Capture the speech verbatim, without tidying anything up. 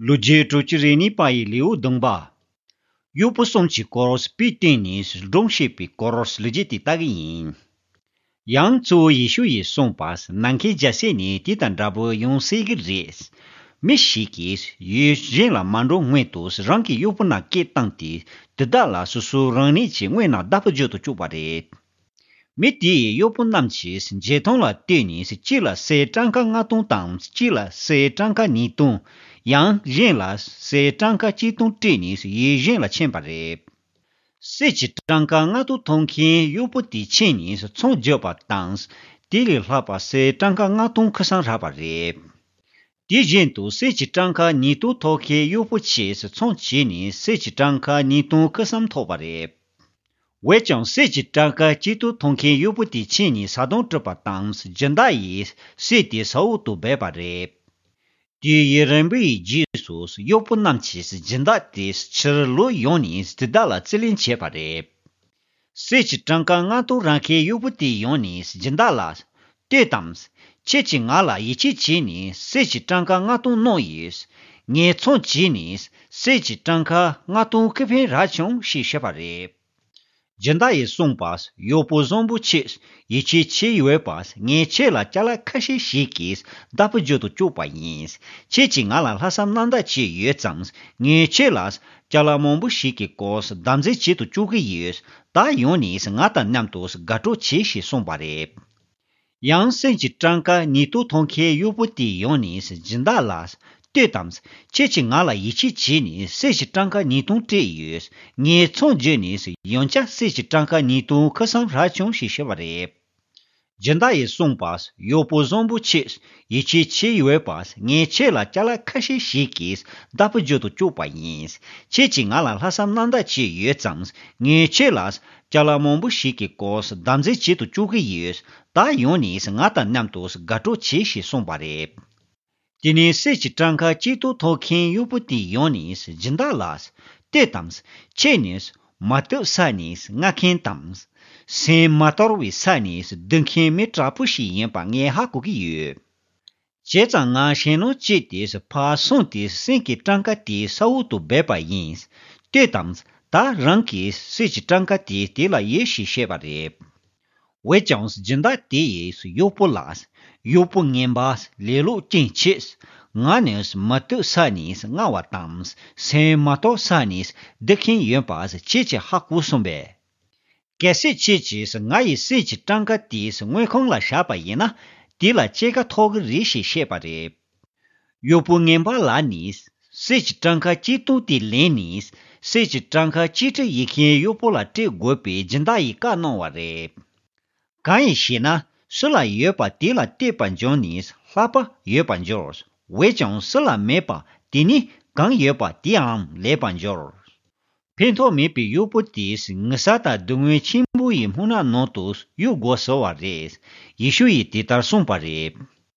ལོ་རྒྱུས་དྲུག་ཅུ་རེ་གཉིས་པ་ཡི་ལེའུ་བདུན་པ། གཡོག་པོ་གསུམ་གྱི་སྐོར་དཔེ་བསྟན་ནས་སྒྲུང་བཤད་པའི་སྐོར་ལོ་རྒྱུས་དེ་ལྟ་གི་ཡིན། ཡང་གཙོ་བོ་ཡེ་ཤུ་ཡིས་གསུངས་པ། ནམ་མཁའི་རྒྱལ་སྲིད་ནི་དེ་དང་འདྲ་པོ་ཡོང་སྲིད་ཀྱི་རེད། མི་ཞིག་གིས་ཡུལ་གཞན་ལ་མ་འགྲོ་སྔོན་དུ་རང་གི་གཡོག་པོ་རྣམས་སྐད་བཏང་སྟེ། དེ་དག་ལ་སོ་སོ་རང་ཉིད་ཀྱི་དངོས་རྣམས་བདག་པོ་རྒྱུ་དུ་བཅུག་པ་རེད། མི་དེ་ཡི་གཡོག་པོ་རྣམས་ཀྱིས་འཇོན་ཐང་ལ་ལྟོས་ནས་གཅིག་ལ་གསེར་ཊམ་ཀ་ལྔ་སྟོང་དང་གཅིག་ལ་གསེར་ཊམ་ཀ་ཉིས་སྟོང་། ཡང་གཞན་ལ་གསེར་ཊམ་ཀ་གཅིག་སྟོང་སྤྲད་ནས་ཡུལ་གཞན་ལ་ཕྱིན་པ་རེད། གསེར་གྱི་ཊམ་ཀ་ལྔ་སྟོང་ཐོབ་མཁན་གཡོག་པོ་དེ་ཕྱིན་ནས་ཚོང་རྒྱག་པ་དང་། དེ་ལས་ལྷག་པ་གསེར་ཊམ་ཀ་ལྔ་སྟོང་ཁེ་བཟང་རག་པ་རེད། དེ་བཞིན་དུ་གསེར་གྱི་ཊམ་ཀ་ཉིས་སྟོང་ཐོབ་མཁན་གཡོག་པོ་ཆེས་ཚོང་བྱས་ནས་གསེར་གྱི་ཊམ་ཀ་ཉིས་སྟོང་ཁེ་བཟང་ཐོབ་པ་རེད། འོན་ཀྱང་གསེར་གྱི་ཊམ་ཀ་གཅིག་སྟོང་ཐོབ་མཁན་གཡོག་པོ་དེ་ཕྱིན་ནས་བཟའ་བཏུང་སྤྲད་པ་དང་སྦྱིན་བདག་ཡིས་གསེར་དེ་ས་འོག་ཏུ་སྦས་པ་རེད། དེ་ཡི་རིམ་པའི་རྗེས་སུ་གཡོག་པོ་རྣམས་ཀྱིས་སྦྱིན་བདག་དེ་ཕྱིར་ལོག་ཡོང་ནས་དེ་དག་ལ་རྩིས་ལེན་བྱས་པ་རེད། གསེར་གྱི་ཊམ་ཀ་ལྔ་སྟོང་རག་མཁན་གཡོག་པོ་དེ་ཡོང་ནས་སྦྱིན་བདག་ལ། ལྟོས་དང་། ཁྱེད་ཀྱིས་ང་ལ་ཡིད་ཆེས་བྱས་ནས་གསེར་གྱི་ཊམ་ཀ་ལྔ་སྟོང་གནང་ཡོད། ངས་ཚོང་བྱས་ནས་གསེར་གྱི་ཊམ་ཀ་ལྔ་སྟོང་ཁེ་ཕན་རག་བྱུང་ཞེས་བཤད་པ་རེད། སྦྱིན་བདག་ཡིས་གསུངས་པ། གཡོག་པོ་བཟང་པོ་ཆེ། ཡིད་ཆེས་ཆེ་ཡོད་པ། ངས་ཁྱེད་ལ་ཅ་ལག་ཁ་ཤས་ཤིག་གིས་བདག་པོ་རྒྱུ་དུ་བཅུག་པ་ཡིན། ཁྱེད་ཀྱིས་ང་ལ་ལྷག་བསམ་རྣམ་དག་བྱས་ཡོད་ཙང་། ངས་ཁྱེད་ལ་ཅ་ལག་མང་པོ་ཞིག་གི་སྐོར་བདག་འཛིན་བྱེད་དུ་བཅུག་གི་ཡོད། ད་ཡོང་ནས་ང་དང་མཉམ་དུ་དགའ་སྤྲོ་བྱེད་ཞེས་གསུངས་པ་རེད། ཡང་གསེར་གྱི་ཊམ་ཀ་ཉིས་སྟོང་ཐོབ་མཁན་གཡོག་པོ་དེ་ཡོང་ནས་སྦྱིན་བདག་ལ། ལྟོས་དང་། ཁྱེད་ཀྱིས་ང་ལ་ཡིད་ཆེས་བྱས་ནས་གསེར་གྱི་ཊམ་ཀ་ཉིས་སྟོང་སྤྲད་ཡོད། ངས་ཚོང་བརྒྱབ་ནས་ཡང་བསྐྱར་གསེར་གྱི་ཊམ་ཀ་ཉིས་སྟོང་ཁེ་བཟང་རག་བྱུང་ཞེས་བཤད་པ་རེད། སྦྱིན་བདག་ཡིས་གསུངས་པ། གཡོག་པོ་བཟང་པོ་ཆེ། ཡིད་ཆེས་ཆེ་ཡོད་པ། ངས་ཁྱེད་ལ་ཅ་ལག་ཁ་ཤས་ཤིག་གིས་བདག་པོ་རྒྱུ་དུ་བཅུག་པ་ཡིན། ཁྱེད་ཀྱིས་ང་ལ་ལྷག་བསམ་རྣམ་དག་བྱས་ཡོད་ཙང་། ངས་ཁྱེད་ལ་ཅ་ལག་མང་པོ་ཞིག་གི་སྐོར་བདག་འཛིན་བྱེད་དུ་བཅུག་གི་ཡོད། ད་ཡོང་ནས་ང་དང་མཉམ་དུ་དགའ་སྤྲོ་བྱེད་ཞེས་གསུངས་པ་རེད། དེ་ནས་གསེར་གྱི་ཊམ་ཀ་གཅིག་སྟོང་ཐོབ་མཁན་གཡོག་པོ་དེ་ཡོང་ནས་སྦྱིན་བདག་ལ། ལྟོས་དང་། ཁྱེད་ནི་མ་བཏུབ་ས་ནས་རྔ་མཁན་དང་། སེམས་མ་དོར་བའི་ས་ནས་སྡུག་མཁན་མི་དྲག་པོ་ཞིག་ཡིན་པ་ངས་ཧ་གོ་གི་ཡོད། བྱས་ཙང་ང་ཞེད་སྣང་སྐྱེས་ཏེ་ཕར་སོང་སྟེ་གསེར་གྱི་ཊམ་ཀ་དེ་ས་འོག་ཏུ་སྦས་པ་ཡིན། ལྟོས་དང་། ད་རང་གིས་གསེར་གྱི་ཊམ་ཀ་དེ་དེ་ལ་ཡོད་ཞེས་བཤད་པ་རེད། འོན་ཀྱང་སྦྱིན་བདག་དེ་ཡིས་གཡོག་པོ་ལ། གཡོག་པོ་ངན་པ། ལེ་ལོ་ཅན་ཆེ། ང་ནི་མ་བཏུབ་ས་ནས་རྔ་བ་དང་སེམས་མ་དོར་ས་ནས་སྡུག་མཁན་ཡིན་པ་ཁྱེད་ཀྱིས་ཧ་གོ་སོང་པས། གལ་སྲིད་ཁྱེད་ཀྱིས་ང་ཡི་གསེར་གྱི་ཊམ་ཀ་དེ་དངུལ་ཁང་ལ་བཞག་པ་ཡིན་ན། དེ་ལ་སྐྱེད་ཀ་ཐོབ་ཀྱི་རེད་ཞེས་བཤད་པ་རེད། གཡོག་པོ་ངན་པ་ལ་ནི་གསེར་གྱི་ཊམ་ཀ་གཅིག་སྟོང་དེ་ལེན་ནས་གསེར་གྱི་ཊམ་ཀ་གཅིག་ཁྲི་ཡོད་མཁན་གཡོག་པོ་ལ་སྤྲད་དགོས་པའི་སྦྱིན་བདག་ཡིས་བཀའ་གནང་བ་རེད། གང་ཡིན་ཞེ་ན། སུ་ལ་ཡོད་པ་དེ་ལ་སྟེར་བར་འགྱུར་ནས་ལྷག་པ་ཡོད་པར་འགྱུར། འོན་ཀྱང་སུ་ལ་མེད་པ་དེ་ནི་གང་ཡོད་པ་དེའང་ལེན་པར་འགྱུར། ཕན་ཐོགས་མེད་པའི་གཡོག་པོ་དེས་ངུ་ས་དང་སྡུག་བསྔལ་ཆེན་པོ་ཡི་སྨུག་ནག་ནང་དུ་གཡུག་དགོས་ཟེར་བ་རེད། ཡེ་ཤུ་ཡིས་དེ་ལྟར་གསུངས་པ་རེད།